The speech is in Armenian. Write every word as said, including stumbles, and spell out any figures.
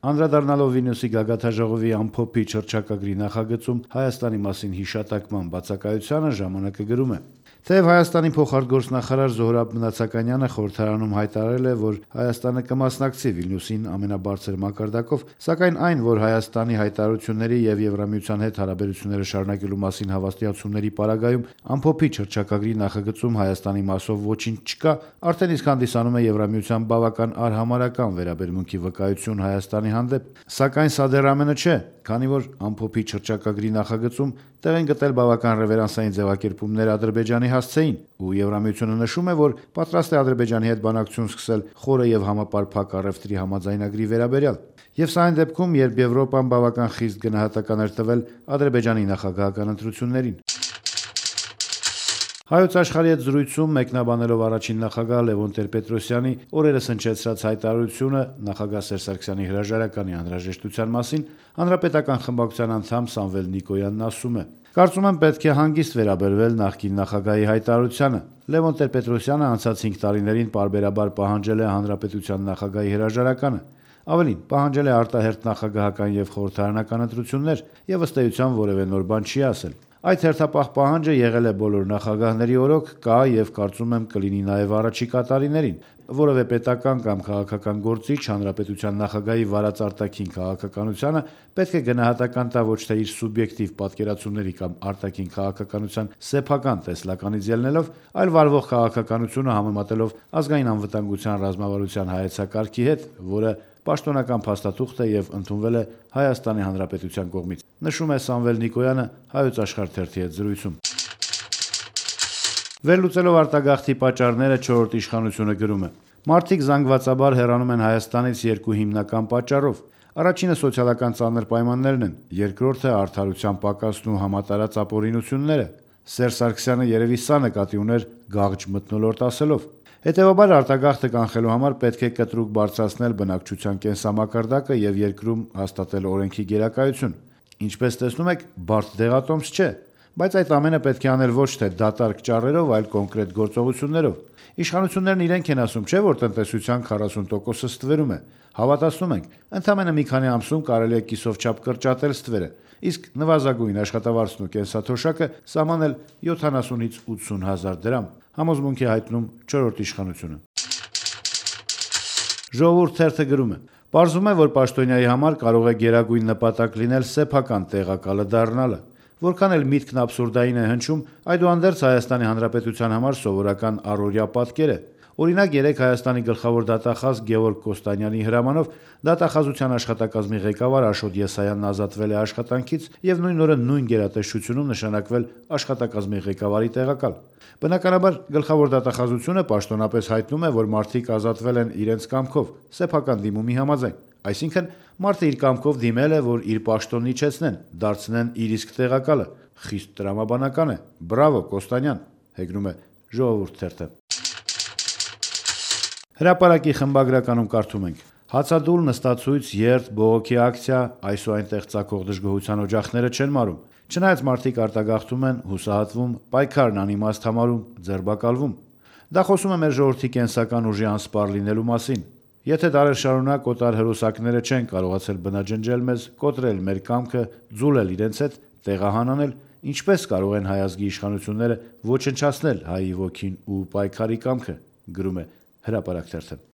Անդրադառնալով Վիլնյուսի գագաթաժողովի ամփոփիչ հռչակագրի նախագծում Հայաստանի մասին հիշատակման բացակայությանը ժամանակը գրում է. Թեև Հայաստանի փոխարտգործնախարար Զոհրաբ Մնացականյանը խորհրդարանում հայտարարել է, որ Հայաստանը կմասնակցի Վիլնյուսին ամենաբարձր մակարդակով, սակայն այն, որ Հայաստանի հայտարարությունների եւ Եվրամիության հետ հարաբերությունները շարունակելու մասին հավաստիացումների պարագայում ամփոփիչ հռչակագրի նախագծում Հայաստանի մասով ոչինչ չկա, արդեն իսկ հանդիսանում է Եվրամիության բավական արհամարհական վերաբերմունքի վկայություն Հայաստանի հանդեպ, սակայն սա դեռ ամենը չէ, քանի որ ամփոփիչ հռչակագրի նախագծում տեղ են գտել բավական ռևերանսային ձևակերպումներ Ադրբեջանի հասցեին, ու Եվրամիությունը նշում է, որ պատրաստ է Ադրբեջանի հետ բանակցություն սկսել խորը եւ համապարփակ առևտրի համաձայնագրի վերաբերյալ։ Եվ սա այն դեպքում, երբ Եվրոպան բավական խիստ գնահատական էր տվել Ադրբեջանի նախագահական ընտրություններին։ Հայոց աշխարհի հետ զրույցում մեկնաբանելով առաջին նախագահ Լևոն Տեր-Պետրոսյանի օրերս հնչեցրած հայտարարությունը նախագահ Սերժ Սարգսյանի հրաժարականի անհրաժեշտության մասին, հանրապետական խմբակցության անդամ Սամվել Նիկոյանն ասում է. «Կարծում եմ պետք է հանգիստ վերաբերվել նախկին նախագահի հայտարարությանը։ Լևոն Տեր-Պետրոսյանը անցած հինգ տարիներին պարբերաբար պահանջել է հանրապետության նախագահի հրաժարականը։ Ավելին, պահանջել է արտահերթ նախագահական եւ խորհրդարանական ընտրություններ եւ ըստ էության որևէ նոր բան չի ասել։ Այդ հերթապահ պահանջը եղել է բոլոր նախագահների օրոք, կա եւ կարծում եմ կլինի նաեւ առաջիկա տարիներին։ Որևէ պետական կամ քաղաքական գործիչ հանրապետության նախագահի վարած արտաքին քաղաքականությանը պետք է գնահատական տա ոչ թե իր սուբյեկտիվ պատկերացումների կամ արտաքին քաղաքականության սեփական տեսլականից ելնելով, այլ վարվող քաղաքականությունը համեմատելով ազգային անվտանգության ռազմավարության հայեցակարգի հետ, որը պաշտոնական փաստաթուղթ է եւ ընդունվել է Հայաստանի Հանրապետության կողմից», նշում է Սամվել Նիկոյանը Հայոց աշխարհ թերթի հետ զրույցում։ Վերլուծելով արտագաղթի պատճառները չորրորդ իշխանությունը գրում է. «Մարդիկ զանգվածաբար հեռանում են Հայաստանից երկու հիմնական պատճառով։ Առաջինը սոցիալական ծանր պայմաններն են, երկրորդը արդարության պակասն ու համատարած ապօրինությունները։ Սերժ Սարգսյանը երևի սա նկատի ուներ գաղջ մթնոլորտ ասելով։ Հետևաբար արտագաղթը կանխելու համար պետք է կտրուկ բարձրացնել բնակչության կենսամակարդակը եւ երկրում հաստատել օրենքի գերակայություն։ Ինչպես տեսնում եք, բարդ դեղատոմս չէ, բայց այդ ամենը պետք է անել ոչ թե դատարկ ճառերով, այլ կոնկրետ գործողություններով։ Իշխանություններն իրենք են ասում, չէ՞ որ տնտեսության քառասուն տոկոսը ստվերում է։ Հավատացնում ենք, ընդամենը մի քանի ամսում կարելի է կիսով չափ կրճատել ստվերը, իսկ նվազագույն աշխատավարձն ու կենսաթոշակը սահմանել յոթանասունից ութսուն հազար դրամ, համոզմունք է հայտնում չորրորդ իշխանությունը»։ Ժողովուրդ թերթը գրում է. «Պարզվում է, որ պաշտոնյայի համար կարող է գերագույն նպատակ լինել սեփական տեղակալը դառնալը։ Որքան էլ միտքն աբսուրդային է հնչում, այդուհանդերձ Հայաստանի Հանրապետության համար սովորական առօրյա պատկեր է։ Օրինակ, երեկ Հայաստանի գլխավոր դատախազ Գևորգ Կոստանյանի հրամանով դատախազության աշխատակազմի ղեկավար Աշոտ Եսայանն ազատվել է աշխատանքից եւ նույն օրը նույն գերատեսչությունում նշանակվել աշխատակազմի ղեկավարի տեղակալ։ Բնականաբար, գլխավոր դատախազությունը պաշտոնապես հայտնում է, որ մարդիկ ազատվել են իրենց կամքով, սեփական դիմումի համաձայն։ Այսինքն, մարդը իր կամքով դիմել է, որ իր պաշտոնն իջեցնեն, դարձնեն իր իսկ տեղակալը։ Խիստ տրամաբանական է։ Բրավո, Կոստանյան», հեգնում է Ժողովուրդ թերթը։ Հրապարակի խմբագրականում կարդում ենք. «Հացադուլ, նստացույց, երթ, բողոքի ակցիա, այս ու այնտեղ ծագող դժգոհության օջախները չեն մարում։ Չնայած մարդիկ արտագաղթում են, հուսահատվում, պայքարն անիմաստ համարում, ձերբակալվում։ Դա խոսում է մեր ժողովրդի կենսական ուժի անսպառ լինելու մասին։ Եթե դարեր շարունակ օտար հրոսակները չեն կարողացել բնաջնջել մեզ, կոտրել մեր կամքը, ձուլել իրենց հետ, տեղահան անել, ինչպես կարող են հայ ազգի իշխանությունները ոչնչացնել հայի ոգին ու պայքարի կամքը», գրում է Հրապարակ թերթը։